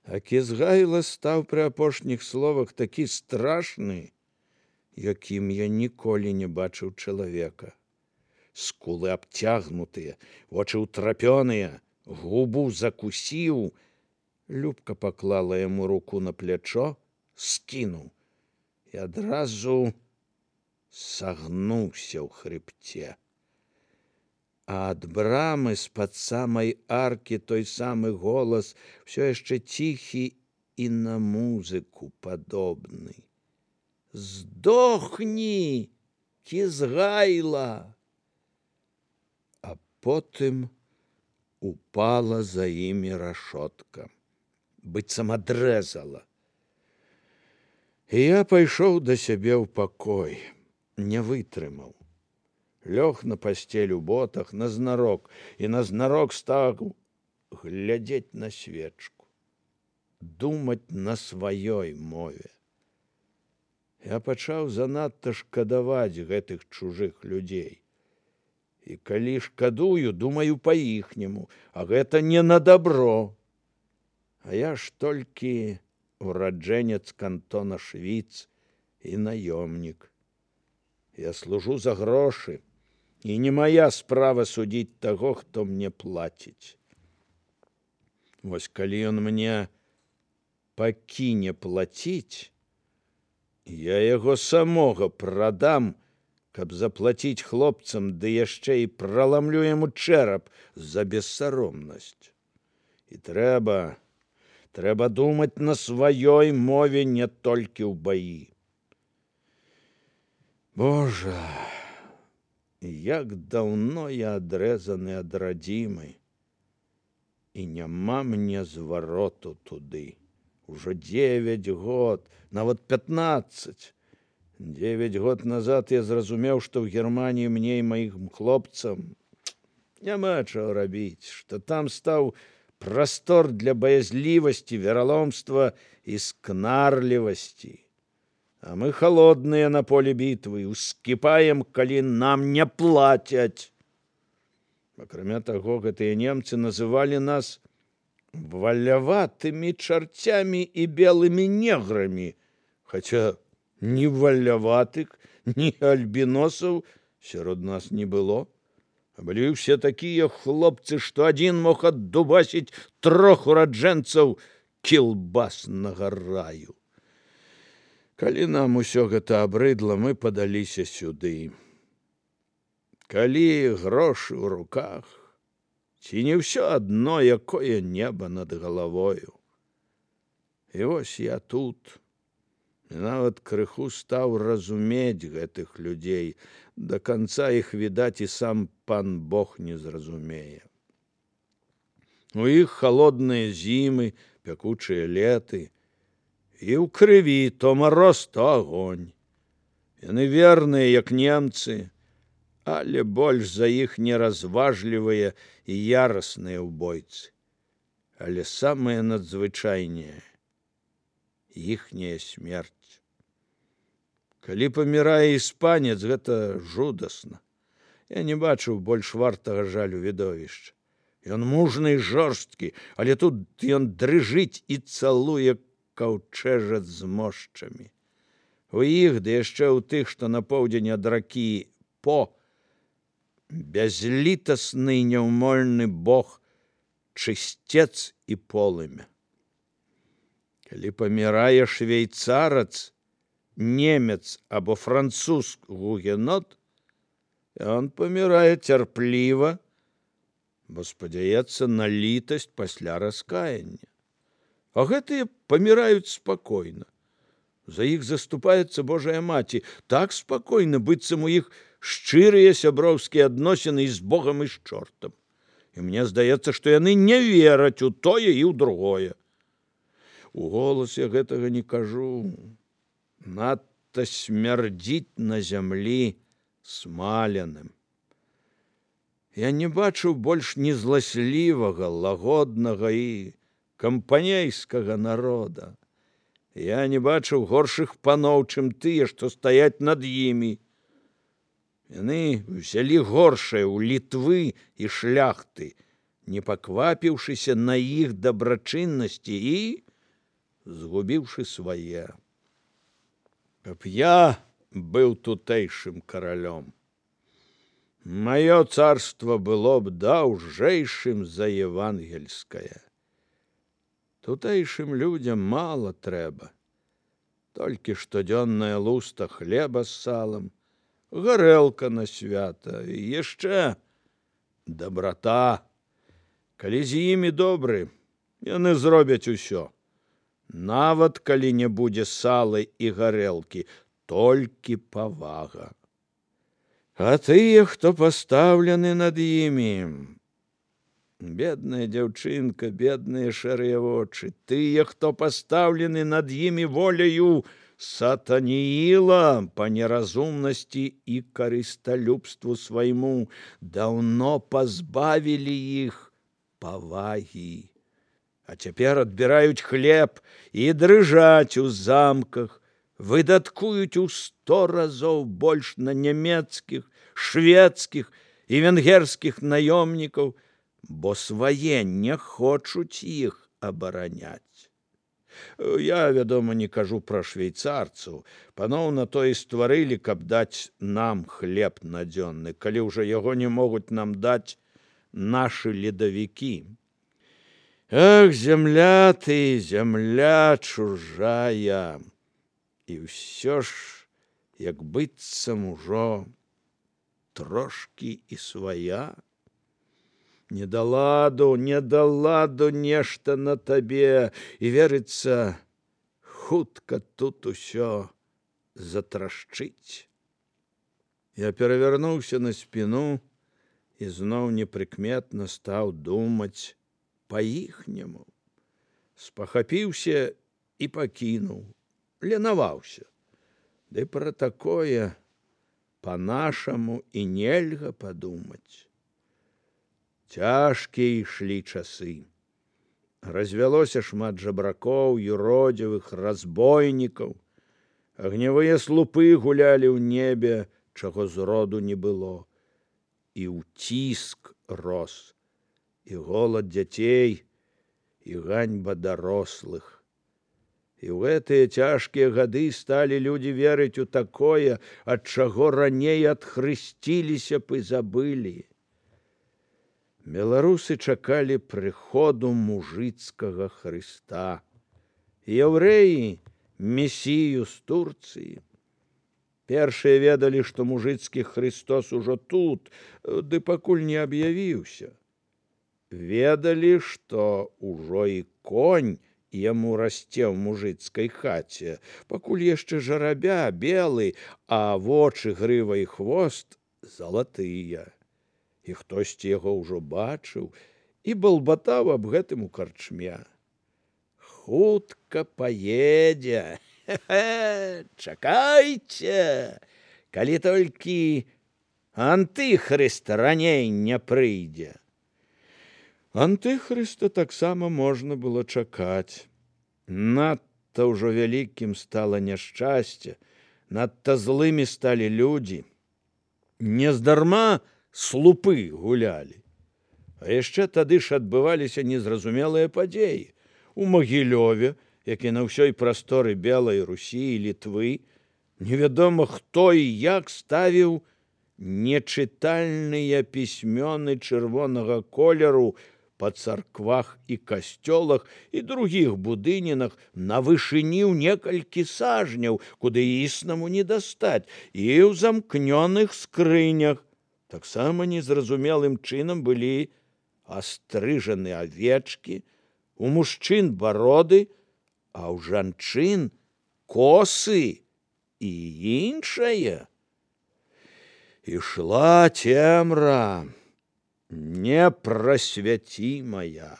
А Кізгайла стаў пры апошніх словах такі страшны, якім я ніколі не бачыў чалавека. Скулы абцягнутыя, вочы ўтрапёныя, губу закусіў. Любка паклала яму руку на плячо, скінуў і адразу сагнуўся ў хрыбце. А ад брамы з-пад самай аркі той самы голас, все яшчэ ціхі і на музыку падобны. «Здохні, Кізгайла!» А потым упала за імі рашотка, быццам адрэзала. І я пайшоў да сябе ў пакой, не вытрымаў. Лёг на пасцель у ботах назнарок і назнарок стаў глядзець на свечку, думаць на сваёй мове. Я пачаў занадта шкадаваць гэтых чужых людзей. І калі шкадую, думаю па-іхняму, а гэта не на дабро. А я ж толькі ураджэнец кантона Швіц і наёмнік. Я служу за грошы, і не мая справа судзіць таго, хто мне плаціць. Вось калі ён мне пакіне плаціць, я яго самога прадам, каб заплаціць хлопцам, ды яшчэ і праламлю яму чэрап за бессаромнасць. І трэба думаць на сваёй мове, не толькі ў баі. Божа, як даўно я адрэзаны ад радзімы, і няма мне звароту туды. Ужо 9 год, нават 15. 9 год назад я зразумеў, што ў Германіі мне і маім хлопцам няма чаго рабіць, што там стаў прастор для баязлівасці, вераломства і скнарлівасці. А мы холодныя на поле бітвы, ускіпаем, калі нам не плацяць. Акрамя таго, гэтыя немцы называлі нас валяватымі чарцямі і белымі неграмі, хаця ні валяватых, ні альбіносаў сярод нас не было. А былі ўсе такія хлопцы, што адзін мог аддубасіць 3 ураджэнцаў кілбаснага раю. Калі нам усё гэта абрыдла, мы падаліся сюды. Калі грошы ў руках, ці не ўсё адно, якое неба над галавою. І вось я тут, і нават крыху стаў разумець гэтых людзей. Да канца іх, відаць, і сам пан Бог не зразумее. У іх халодныя зімы, пякучыя леты, і ў крыві то мароз, то агонь. Яны верныя, як немцы, але больш за іх неразважлівыя і ярасныя ўбойцы. Але самае надзвычайнае — іхняя смерць. Калі памірае іспанец, гэта жудасна. Я не бачыў больш вартага жалю відовішча. Ён мужны і жорсткі, але тут ён дрыжыць і цалуе каўчэжат з мошчамі. У іх, ды яшчэ ў тых, што на поўдзень ад ракі По, бязлітасны і няўмольны бог, чысцец і полымя. Калі памірае швейцарац, немец або француз гугенот, ён памірае цярпліва, бо спадзяецца на літасць пасля раскаяння. А гэтыя паміраюць спакойна. За іх заступаецца Божая Маці, так спакойна, быццам у іх шчырыя сяброўскія адносіны і з Богам, і з чортам. І мне здаецца, што яны не вераць у тое і ў другое. У голас я гэтага не кажу. Надта смярдзіць на зямлі смаленым. Я не бачыў больш ні зласлівага, лагоднага і кампанейскага народа. Я не бачыў горшых паноў, чым тыя, што стаяць над імі. Яны взялі горшае ў Літвы і шляхты, не паквапіўшыся на іх дабрачыннасці, і згубіўшы свае. Каб я быў тутэйшым каралём, маё царства было б даўжэйшым за евангельскае. Тутэйшым людзям мала трэба, толькі штодзённая луста хлеба з салам, гарэлка на свята і яшчэ дабрата. Калі з імі добры, яны зробяць усё. Нават калі не будзе сала і гарэлкі, толькі павага. А тыя, хто пастаўлены над імі, бедная дзяўчынка, бедныя шэрыя вочы, тыя, хто пастаўлены над імі воляю сатанііла па неразумнасці і карысталюбству свайму, даўно пазбавілі іх павагі. А цяпер адбіраюць хлеб і дрыжаць у замках, выдаткуюць у 100 разоў больш на нямецкіх, шведскіх і венгерскіх наёмнікаў, бо свае не хочуць іх абараняць. Я, вядома, не кажу пра швейцарцаў. Паноў на то і стварылі, каб даць нам хлеб надзённы, калі ўжо яго не могуць нам даць нашы ледавікі. Ах, зямля ты, зямля чужая, і ўсё ж, як быццам ужо трошкі і свая. Не да ладу нешта на табе, і верыцца, хутка тут усё затрашчыць. Я перавярнуўся на спіну і зноў непрыкметна стаў думаць па-іхняму. Спахапіўся і пакінуў, ленаваўся. Ды пра такое па-нашаму і нельга падумаць. Цяжкія ішлі часы. Развялося шмат жабракоў, юродзівых, разбойнікаў. Агнявыя слупы гулялі ў небе, чаго зроду не было. І ўціск рос, і голад дзяцей, і ганьба дарослых. І ў гэтыя цяжкія гады сталі людзі верыць у такое, ад чаго раней адхрысціліся б і забылі. Беларусы чакалі прыходу мужыцкага Хрыста. Яўрэі месію з Турцыі. Першыя ведалі, што мужыцкі Хрыстос ужо тут, ды пакуль не аб'явіўся. Ведалі, што ўжо і конь яму расце ў мужыцкай хаце, пакуль яшчэ жарабя, белы, а вочы, грыва і хвост залатыя. І хтосьці яго ўжо бачыў і балбатаў аб гэтым у карчме. Хутка паедзе, чакайце, калі толькі антыхрыст раней не прыйдзе. Антыхрыста таксама можна было чакаць. Надта ўжо вялікім стала няшчасце, надта злымі сталі людзі. Нездарма слупы гулялі. А яшчэ тады ж адбываліся незразумелыя падзеі. У Магілёве, як і на ўсёй прасторы Белай Русі і Літвы, невядома хто і як ставіў нечытальныя пісьмёны чырвонага колеру па царквах і касцёлах і другіх будынінах на вышыні ў некалькі сажняў, куды існаму не дастаць, і ў замкнёных скрынях. Таксама незразумелым чынам былі астрыжаны авечкі, у мужчын бароды, а ў жанчын косы і іншае. Ішла цемра непрасвяцімая.